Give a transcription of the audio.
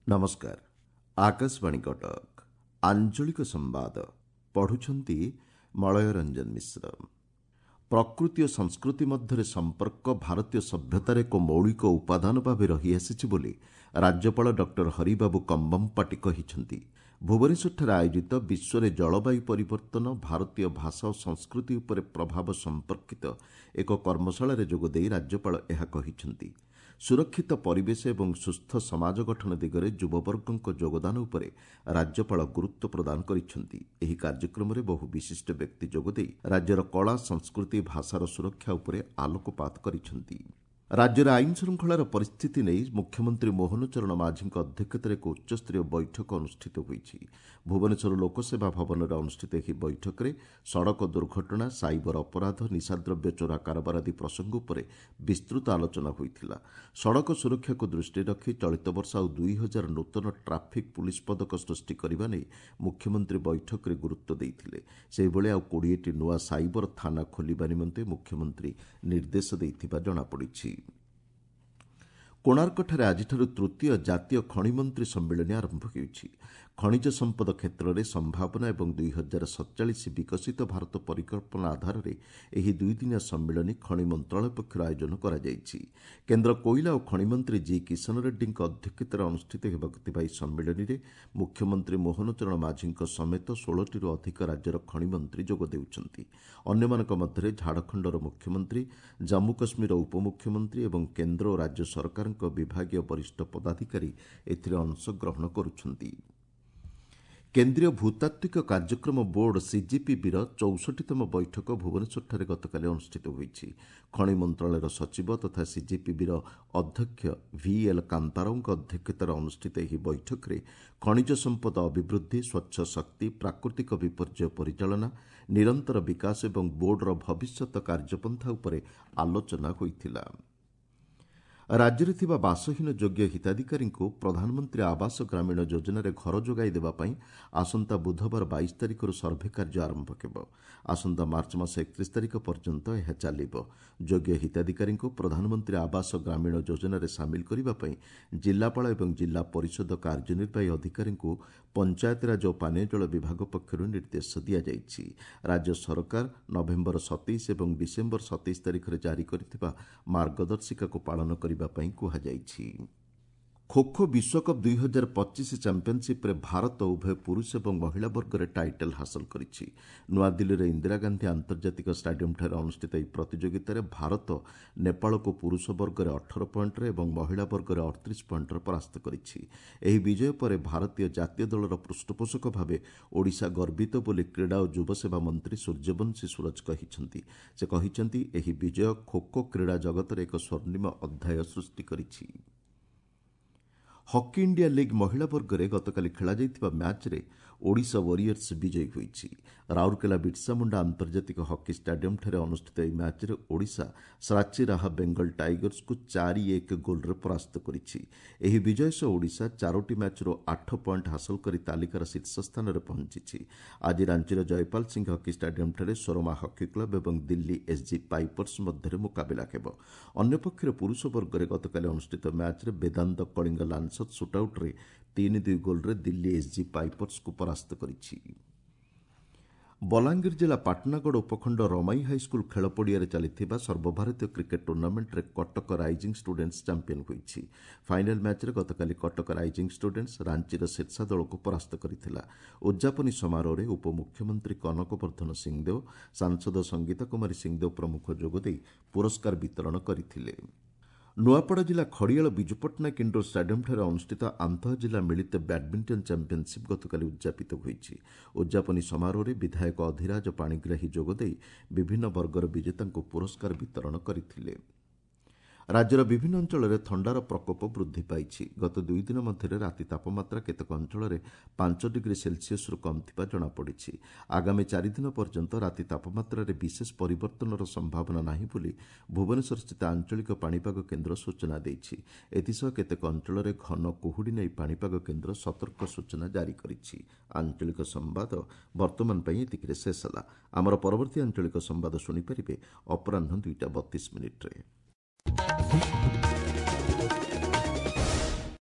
ନମସ୍କାର, ଆକାଶବାଣୀ କଟକ। ଆଞ୍ଚଳିକ ସମ୍ବାଦ ପଢ଼ୁଛନ୍ତି ମଳୟ ରଞ୍ଜନ ମିଶ୍ର। ପ୍ରକୃତି ଓ ସଂସ୍କୃତି ମଧ୍ୟରେ ସମ୍ପର୍କ ଭାରତୀୟ ସଭ୍ୟତାର ଏକ ମୌଳିକ ଉପାଦାନ ଭାବେ ରହିଆସିଛି ବୋଲି ରାଜ୍ୟପାଳ ଡକ୍ଟର ହରିବାବୁ କମ୍ବମପାଟି କହିଛନ୍ତି। ଭୁବନେଶ୍ୱରଠାରେ ଆୟୋଜିତ ବିଶ୍ୱରେ ଜଳବାୟୁ ପରିବର୍ତ୍ତନ, ଭାରତୀୟ ଭାଷା ଓ ସଂସ୍କୃତି ଉପରେ ପ୍ରଭାବ ସମ୍ପର୍କିତ ଏକ କର୍ମଶାଳାରେ ଯୋଗଦେଇ ରାଜ୍ୟପାଳ ଏହା କହିଛନ୍ତି। ସୁରକ୍ଷିତ ପରିବେଶ ଏବଂ ସୁସ୍ଥ ସମାଜ ଗଠନ ଦିଗରେ ଯୁବବର୍ଗଙ୍କ ଯୋଗଦାନ ଉପରେ ରାଜ୍ୟପାଳ ଗୁରୁତ୍ୱ ପ୍ରଦାନ କରିଛନ୍ତି। ଏହି କାର୍ଯ୍ୟକ୍ରମରେ ବହୁ ବିଶିଷ୍ଟ ବ୍ୟକ୍ତି ଯୋଗଦେଇ ରାଜ୍ୟର କଳା, ସଂସ୍କୃତି, ଭାଷାର ସୁରକ୍ଷା ଉପରେ ଆଲୋକପାତ କରିଛନ୍ତି। ରାଜ୍ୟରେ ଆଇନ ଶୃଙ୍ଖଳାର ପରିସ୍ଥିତି ନେଇ ମୁଖ୍ୟମନ୍ତ୍ରୀ ମୋହନ ଚରଣ ମାଝୀଙ୍କ ଅଧ୍ୟକ୍ଷତାରେ ଏକ ଉଚ୍ଚସ୍ତରୀୟ ବୈଠକ ଅନୁଷ୍ଠିତ ହୋଇଛି। ଭୁବନେଶ୍ୱର ଲୋକସେବା ଭବନରେ ଅନୁଷ୍ଠିତ ଏହି ବୈଠକରେ ସଡ଼କ ଦୁର୍ଘଟଣା, ସାଇବର ଅପରାଧ, ନିଶାଦ୍ରବ୍ୟ ଚୋରା କାରବାର ଆଦି ପ୍ରସଙ୍ଗ ଉପରେ ବିସ୍ତୃତ ଆଲୋଚନା ହୋଇଥିଲା। ସଡ଼କ ସୁରକ୍ଷାକୁ ଦୃଷ୍ଟିରେ ରଖି ଚଳିତ ବର୍ଷ ଆଉ 2000 ନୂତନ ଟ୍ରାଫିକ୍ ପୁଲିସ୍ ପଦକ ସୃଷ୍ଟି କରିବା ନେଇ ମୁଖ୍ୟମନ୍ତ୍ରୀ ବୈଠକରେ ଗୁରୁତ୍ୱ ଦେଇଥିଲେ। ସେହିଭଳି ଆଉ 20ଟି ନୂଆ ସାଇବର ଥାନା ଖୋଲିବା ନିମନ୍ତେ ମୁଖ୍ୟମନ୍ତ୍ରୀ ନିର୍ଦ୍ଦେଶ ଦେଇଥିବା ଜଣାପଡ଼ିଛି। କୋଣାର୍କଠାରେ ଆଜିଠାରୁ ତୃତୀୟ ଜାତୀୟ ଖଣିମନ୍ତ୍ରୀ ସମ୍ମିଳନୀ ଆରମ୍ଭ ହେଉଛି। ଖଣିଜ ସମ୍ପଦ କ୍ଷେତ୍ରରେ ସମ୍ଭାବନା ଏବଂ 2047 ବିକଶିତ ଭାରତ ପରିକଳ୍ପନା ଆଧାରରେ ଏହି ଦୁଇଦିନିଆ ସମ୍ମିଳନୀ ଖଣି ମନ୍ତ୍ରଣାଳୟ ପକ୍ଷରୁ ଆୟୋଜନ କରାଯାଇଛି। କେନ୍ଦ୍ର କୋଇଲା ଓ ଖଣିମନ୍ତ୍ରୀ ଜି କିଶନ ରେଡ୍ଡୀଙ୍କ ଅଧ୍ୟକ୍ଷତାରେ ଅନୁଷ୍ଠିତ ହେବାକୁ ଥିବା ଏହି ସମ୍ମିଳନୀରେ ମୁଖ୍ୟମନ୍ତ୍ରୀ ମୋହନ ଚରଣ ମାଝୀଙ୍କ ସମେତ 16ଟିରୁ ଅଧିକ ରାଜ୍ୟର ଖଣିମନ୍ତ୍ରୀ ଯୋଗ ଦେଉଛନ୍ତି। ଅନ୍ୟମାନଙ୍କ ମଧ୍ୟରେ ଝାଡ଼ଖଣ୍ଡର ମୁଖ୍ୟମନ୍ତ୍ରୀ, ଜାମ୍ମୁ କାଶ୍ମୀରର ଉପମୁଖ୍ୟମନ୍ତ୍ରୀ ଏବଂ କେନ୍ଦ୍ର ଓ ରାଜ୍ୟ ସରକାରଙ୍କ ବିଭାଗୀୟ ବରିଷ୍ଠ ପଦାଧିକାରୀ ଏଥିରେ ଅଂଶଗ୍ରହଣ କରୁଛନ୍ତି। କେନ୍ଦ୍ରୀୟ ଭୂତାତ୍ତ୍ୱିକ କାର୍ଯ୍ୟକ୍ରମ ବୋର୍ଡ ସିଜିପିବିର 64ତମ ବୈଠକ ଭୁବନେଶ୍ୱରଠାରେ ଗତକାଲି ଅନୁଷ୍ଠିତ ହୋଇଛି। ଖଣି ମନ୍ତ୍ରଣାଳୟର ସଚିବ ତଥା ସିଜିପିବିର ଅଧ୍ୟକ୍ଷ ଭିଏଲ୍ କାନ୍ତାରାଓଙ୍କ ଅଧ୍ୟକ୍ଷତାରେ ଅନୁଷ୍ଠିତ ଏହି ବୈଠକରେ ଖଣିଜ ସମ୍ପଦ ଅଭିବୃଦ୍ଧି, ସ୍ୱଚ୍ଛ ଶକ୍ତି, ପ୍ରାକୃତିକ ବିପର୍ଯ୍ୟୟ ପରିଚାଳନା, ନିରନ୍ତର ବିକାଶ ଏବଂ ବୋର୍ଡର ଭବିଷ୍ୟତ କାର୍ଯ୍ୟପନ୍ଥା ଉପରେ ଆଲୋଚନା ହୋଇଥିଲା। ରାଜ୍ୟରେ ଥିବା ବାସହୀନ ଯୋଗ୍ୟ ହିତାଧିକାରୀଙ୍କୁ ପ୍ରଧାନମନ୍ତ୍ରୀ ଆବାସ ଗ୍ରାମୀଣ ଯୋଜନାରେ ଘର ଯୋଗାଇ ଦେବା ପାଇଁ ଆସନ୍ତା ବୁଧବାର 22 ତାରିଖରୁ ସର୍ଭେ କାର୍ଯ୍ୟ ଆରମ୍ଭ ହେବ। ଆସନ୍ତା ମାର୍ଚ୍ଚ ମାସ 31 ତାରିଖ ପର୍ଯ୍ୟନ୍ତ ଏହା ଚାଲିବ। ଯୋଗ୍ୟ ହିତାଧିକାରୀଙ୍କୁ ପ୍ରଧାନମନ୍ତ୍ରୀ ଆବାସ ଗ୍ରାମୀଣ ଯୋଜନାରେ ସାମିଲ କରିବା ପାଇଁ ଜିଲ୍ଲାପାଳ ଏବଂ ଜିଲ୍ଲା ପରିଷଦ କାର୍ଯ୍ୟନିର୍ବାହୀ ଅଧିକାରୀଙ୍କୁ ପଞ୍ଚାୟତିରାଜ ଓ ପାନୀୟ ଜଳ ବିଭାଗ ପକ୍ଷରୁ ନିର୍ଦ୍ଦେଶ ଦିଆଯାଇଛି। ରାଜ୍ୟ ସରକାର ନଭେମ୍ବର 27 ଏବଂ ଡିସେମ୍ବର 27 ତାରିଖରେ ଜାରି କରିଥିବା ମାର୍ଗଦର୍ଶିକାକୁ ପାଳନ କରିବା ପାଇଁ କୁହାଯାଇଛି। ଖୋଖୋ ବିଶ୍ୱକପ୍ 2025 ଚାମ୍ପିୟନସିପ୍ରେ ଭାରତ ଉଭୟ ପୁରୁଷ ଏବଂ ମହିଳା ବର୍ଗରେ ଟାଇଟଲ୍ ହାସଲ କରିଛି। ନୂଆଦିଲ୍ଲୀର ଇନ୍ଦିରା ଗାନ୍ଧୀ ଆନ୍ତର୍ଜାତିକ ଷ୍ଟାଡିୟମ୍ଠାରେ ଅନୁଷ୍ଠିତ ଏହି ପ୍ରତିଯୋଗିତାରେ ଭାରତ ନେପାଳକୁ ପୁରୁଷ ବର୍ଗରେ 18 ପଏଣ୍ଟରେ ଏବଂ ମହିଳା ବର୍ଗରେ 38 ପଏଣ୍ଟରେ ପରାସ୍ତ କରିଛି। ଏହି ବିଜୟ ପରେ ଭାରତୀୟ ଜାତୀୟ ଦଳର ପୃଷ୍ଠପୋଷକ ଭାବେ ଓଡ଼ିଶା ଗର୍ବିତ ବୋଲି କ୍ରୀଡ଼ା ଓ ଯୁବସେବା ମନ୍ତ୍ରୀ ସୂର୍ଯ୍ୟବଂଶୀ ସୂରଜ କହିଛନ୍ତି। ସେ କହିଛନ୍ତି, ଏହି ବିଜୟ ଖୋଖୋ କ୍ରୀଡ଼ା ଜଗତରେ ଏକ ସ୍ୱର୍ଣ୍ଣିମ ଅଧ୍ୟାୟ ସୃଷ୍ଟି କରିଛି। ହକି ଇଣ୍ଡିଆ ଲିଗ୍ ମହିଳା ବର୍ଗରେ ଗତକାଲି ଖେଳାଯାଇଥିବା ମ୍ୟାଚ୍ରେ ଓଡ଼ିଶା ୱାରିୟର୍ସ ବିଜୟୀ ହୋଇଛି। ରାଉରକେଲା ବିର୍ସାମୁଣ୍ଡା ଆନ୍ତର୍ଜାତିକ ହକି ଷ୍ଟାଡିୟମ୍ଠାରେ ଅନୁଷ୍ଠିତ ଏହି ମ୍ୟାଚ୍ରେ ଓଡ଼ିଶା ଶ୍ରାଚୀ ରାହା ବେଙ୍ଗଲ ଟାଇଗର୍ସକୁ 4-1 ଗୋଲ୍ରେ ପରାସ୍ତ କରିଛି। ଏହି ବିଜୟ ସହ ଓଡ଼ିଶା 4ଟି ମ୍ୟାଚ୍ରୁ 8 ପଏଣ୍ଟ ହାସଲ କରି ତାଲିକାର ଶୀର୍ଷ ସ୍ଥାନରେ ପହଞ୍ଚିଛି। ଆଜି ରାଞ୍ଚିର ଜୟପାଲ ସିଂ ହକି ଷ୍ଟାଡିୟମ୍ଠାରେ ସୋରମା ହକି କ୍ଲବ୍ ଏବଂ ଦିଲ୍ଲୀ ଏସ୍ଜି ପାଇପର୍ସ ମଧ୍ୟରେ ମୁକାବିଲା ହେବ। ଅନ୍ୟପକ୍ଷରେ ପୁରୁଷ ବର୍ଗରେ ଗତକାଲି ଅନୁଷ୍ଠିତ ମ୍ୟାଚ୍ରେ ବେଦାନ୍ତ କଳିଙ୍ଗ ଲାନ୍ସର ସୁଟ୍ଆଉଟ୍ରେ 3-2 ଗୋଲ୍ରେ ଦିଲ୍ଲୀ ଏସ୍ଜି ପାଇପର୍ସକୁ ପରାସ୍ତ କରିଛି। ବଲାଙ୍ଗୀର ଜିଲ୍ଲା ପାଟଣାଗଡ଼ ଉପଖଣ୍ଡ ରମାଇ ହାଇସ୍କୁଲ ଖେଳ ପଡ଼ିଆରେ ଚାଲିଥିବା ସର୍ବଭାରତୀୟ କ୍ରିକେଟ୍ ଟୁର୍ଣ୍ଣାମେଣ୍ଟରେ କଟକ ରାଇଜିଂ ଷ୍ଟୁଡେଣ୍ଟସ୍ ଚାମ୍ପିୟନ୍ ହୋଇଛି। ଫାଇନାଲ୍ ମ୍ୟାଚ୍ରେ ଗତକାଲି କଟକ ରାଇଜିଂ ଷ୍ଟୁଡେଣ୍ଟସ୍ ରାଞ୍ଚିର ଶୀର୍ଷା ଦଳକୁ ପରାସ୍ତ କରିଥିଲା। ଉଦ୍ଯାପନୀ ସମାରୋହରେ ଉପମୁଖ୍ୟମନ୍ତ୍ରୀ କନକ ବର୍ଦ୍ଧନ ସିଂଦେଓ, ସାଂସଦ ସଙ୍ଗୀତା କୁମାରୀ ସିଂଦେଓ ପ୍ରମୁଖ ଯୋଗଦେଇ ପୁରସ୍କାର ବିତରଣ କରିଥିଲେ। ନୂଆପଡ଼ା ଜିଲ୍ଲା ଖଡ଼ିଆଳ ବିଜୁ ପଟ୍ଟନାୟକ ଇଣ୍ଡୋର ଷ୍ଟାଡିୟମ୍ଠାରେ ଅନୁଷ୍ଠିତ ଆନ୍ତଃଜିଲ୍ଲା ମିଳିତ ବ୍ୟାଡ୍ମିଣ୍ଟନ ଚାମ୍ପିୟନସିପ୍ ଗତକାଲି ଉଦ୍ଯାପିତ ହୋଇଛି। ଉଦ୍ଯାପନୀ ସମାରୋହରେ ବିଧାୟକ ଅଧିରାଜ ପାଣିଗ୍ରାହୀ ଯୋଗଦେଇ ବିଭିନ୍ନ ବର୍ଗର ବିଜେତାଙ୍କୁ ପୁରସ୍କାର ବିତରଣ କରିଥିଲେ। ରାଜ୍ୟର ବିଭିନ୍ନ ଅଞ୍ଚଳରେ ଥଣ୍ଡାର ପ୍ରକୋପ ବୃଦ୍ଧି ପାଇଛି। ଗତ 2 ଦିନ ମଧ୍ୟରେ ରାତି ତାପମାତ୍ରା କେତେକ ଅଞ୍ଚଳରେ 5 ଡିଗ୍ରୀ ସେଲସିୟସରୁ କମ୍ ଥିବା ଜଣାପଡ଼ିଛି। ଆଗାମୀ 4 ଦିନ ପର୍ଯ୍ୟନ୍ତ ରାତି ତାପମାତ୍ରାରେ ବିଶେଷ ପରିବର୍ତ୍ତନର ସମ୍ଭାବନା ନାହିଁ ବୋଲି ଭୁବନେଶ୍ୱରସ୍ଥିତ ଆଞ୍ଚଳିକ ପାଣିପାଗ କେନ୍ଦ୍ର ସୂଚନା ଦେଇଛି। ଏଥିସହ କେତେକ ଅଞ୍ଚଳରେ ଘନ କୁହୁଡ଼ି ନେଇ ପାଣିପାଗ କେନ୍ଦ୍ର ସତର୍କ ସୂଚନା ଜାରି କରିଛି। ଆଞ୍ଚଳିକ ସମ୍ବାଦ ବର୍ତ୍ତମାନ ପାଇଁ ଏତିକିରେ ଶେଷ ହେଲା। ଆମର ପରବର୍ତ୍ତୀ ଆଞ୍ଚଳିକ ସମ୍ବାଦ ଶୁଣିପାରିବେ ଅପରାହ୍ନ 2ଟା 32 ମିନିଟ୍ରେ।